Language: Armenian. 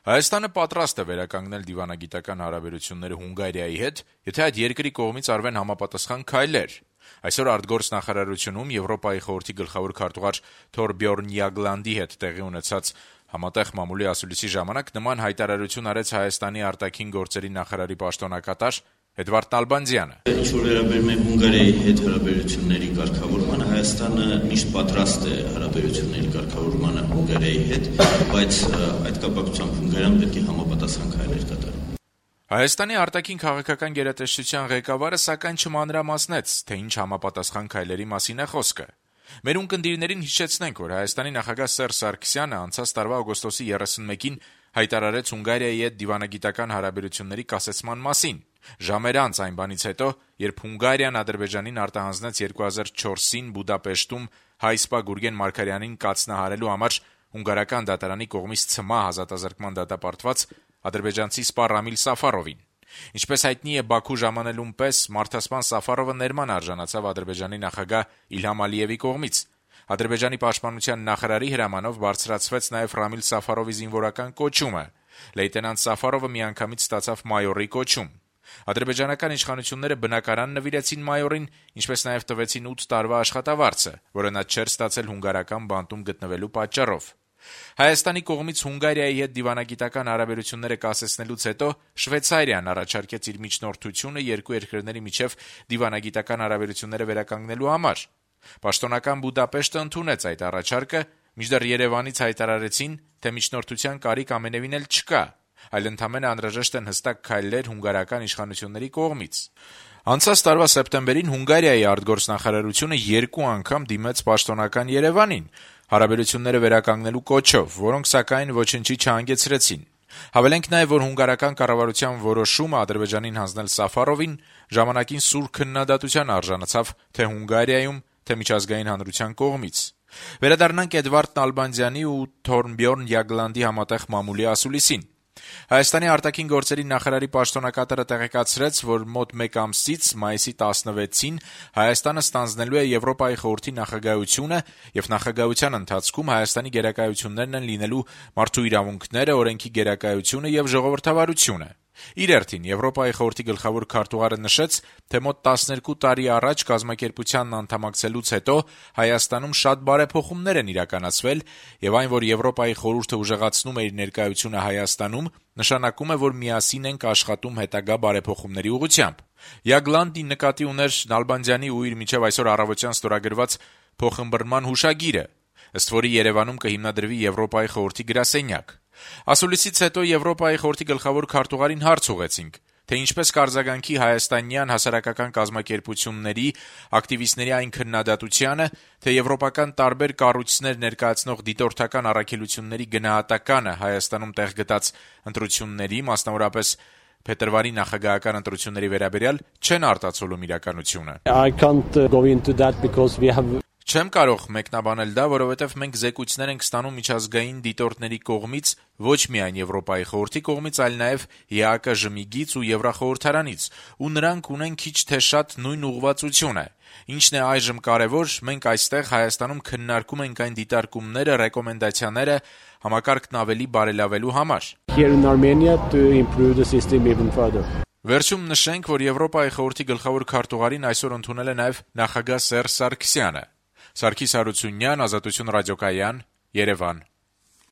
Հայաստանը պատրաստ է վերականգնել դիվանագիտական հարաբերությունները Հունգարիայի հետ, եթե այդ երկրի կողմից արվեն համապատասխան քայլեր։ Այսօր արտգործնախարարությունում Եվրոպայի խորհրդի գլխավոր քարտուղար Թորբյորն Յագլանդի հետ տեղի ունեցած համատեղ մամուլի ասուլիսի ժամանակ նման հայտարարություն արեց Հայաստանի արտաքին գործերի նախարարի պաշտոնակատար Էդվարդ Նալբանդյանը։ Ինչ որ վերաբերում է Հունգարիայի հետ հարաբերությունների կարգավորմանը, Հայաստանը միշտ պատրաստ է հարաբերությունների կարգավորմանը Հունգարիայի հետ, բայց այդ կապակցությամբ Հունգարիան պետք է համապատասխան քայլեր կատարի։ Հայաստանի արտաքին քաղաքական գերատեսչության ղեկավարը սակայն չմանրամասնեց, թե ինչ համապատասխան քայլերի մասին է խոսքը։ Մեր ունկնդիրներին հիշեցնենք, որ Հայաստանի նախագահ Սերժ Սարգսյանը անցած տարվա օգոստոսի 31-ին հայտարարեց Հունգարիայի հետ դիվանագիտական հարաբերությունների կասեցման մասին։ Ժամեր անց այն բանից հետո, երբ Հունգարիան Ադրբեջանին արտահանձնեց 2004-ին Բուդապեշտում հայ սպա Գուրգեն Մարգարյանին կացնահարելու համար հունգարական դատարանի կողմից ցմահ ազատազրկման դատապարտված ադրբեջանցի սպա Ռամիլ Սաֆարովին։ Ինչպես հայտնի է, Բաքու ժամանելուն պես մարդասպան Սաֆարովը ներման արժանացավ Ադրբեջանի նախագահ Իլհամ Ալիևի կողմից։ Ադրբեջանի պաշտպանության նախարարի հրամանով բարձրացվեց նաև Ռամիլ Սաֆարովի զինվորական կոչումը։ Լեյտենանտ Սաֆարովը միանգամից ստացավ մայորի կոչում։ Ադրբեջանական իշխանությունները բնակարան նվիրեցին մայորին, ինչպես նաև տվեցին 8 տարվա աշխատավարձը, որը նա չէր ստացել հունգարական բանտում գտնվելու պատճառով։ Հայաստանի կողմից Հունգարիայի հետ դիվանագիտական հարաբերությունները կասեցնելուց հետո Շվեյցարիան առաջարկեց իր միջնորդությունը երկու երկրների միջև դիվանագիտական հարաբերությունները վերականգնելու համար։ Պաշտոնական Բուդապեշտը ընդունեց այդ առաջարկը, մինչդեռ Երևանից հայտարարեցին, թե միջնորդության կարիք ամենևին էլ չկա, այլ ընդամենը անհրաժեշտ են հստակ քայլեր հունգարական իշխանությունների կողմից։ Անցած տարվա սեպտեմբերին Հունգարիայի արտգործնախարարությունը 2 անգամ դիմեց պաշտոնական Երևանին հարաբերությունները վերականգնելու կոչով, որոնք սակայն ոչնչի չհանգեցրեցին։ Հավելենք նաև, որ հունգարական կառավարության որոշումը Ադրբեջանին հանձնել Սաֆարովին ժամանակին սուր քննադատության արժանացավ թե Հունգարիայում, թե միջազգային հանրության կողմից։ Վերադառնանք Էդվարդ Նալբանդյանի ու Թորբյորն Յագլանդի համատեղ մամուլի ասուլիսին։ Հայաստանի արտաքին գործերի նախարարի պաշտոնակատարը տեղեկացրեց, որ մոտ 1 ամսից մայիսի 16-ին Հայաստանը ստանձնելու է Եվրոպայի խորհրդի նախագահությունը եւ նախագահության ընթացքում Հայաստանի գերակայություններն են լինելու մարդու իրավունքները, օրենքի գերակայությունը եւ ժողովրդավարությունը։ Իր հերթին Եվրոպայի խորհրդի գլխավոր քարտուղարը նշեց, թե մոտ 12 տարի առաջ կազմակերպությանն անդամակցելուց հետո Հայաստանում շատ բարեփոխումներ են իրականացվել եւ այն, որ Եվրոպայի խորհուրդը ուժեղացնում է իր ներկայությունը Հայաստանում, նշանակում է, որ միասին ենք աշխատում հետագա բարեփոխումների ուղղությամբ։ Յագլանդի նկատի ուներ Նալբանդյանի ու իր միջև այսօր առավոտյան ստորագրված փոխըմբռնման հուշագիրը, ըստ որի Երևանում կհիմնադրվի Եվրոպայի խորհրդի գրասենյակ։ Ասուլիսից հետո Եվրոպայի խորհրդի գլխավոր քարտուղարին հարց ուղեցինք, թե ինչպես կարձագանքի հայաստանյան հասարակական կազմակերպությունների ակտիվիստների այն քննադատությանը, թե եվրոպական տարբեր կառույցներ ներկայացնող դիտորդական առաքելությունների գնահատականը Հայաստանում տեղ գտած ընտրությունների, մասնավորապես փետրվարի նախագահական ընտրությունների վերաբերյալ չեն արտացոլում իրականությունը։ Չեմ կարող մեկնաբանել դա, որովհետև մենք զեկույցներ ենք ստանում միջազգային դիտորդների կողմից, ոչ միայն Եվրոպայի խորհրդի կողմից, այլ նաև ԵԱԿ-ԺՄԻԳ-ից ու Եվրախորհրդարանից, ու նրանք ունեն քիչ թե շատ նույն ուղղվածությունը։ Ինչն է այժմ կարևոր, մենք այստեղ Հայաստանում քննարկում ենք այն դիտարկումները, ռեկոմենդացիաները համակարգն ավելի բարելավելու համար։ Վերջում նշենք, որ Եվրոպայի խորհրդի գլխավոր քարտուղարին այսօր ընդունել է նաև նախագահ Սերժ Սարգսյանը։ Սարգիս Հարությունյան, Ազատություն ռադիոկայան, Երևան։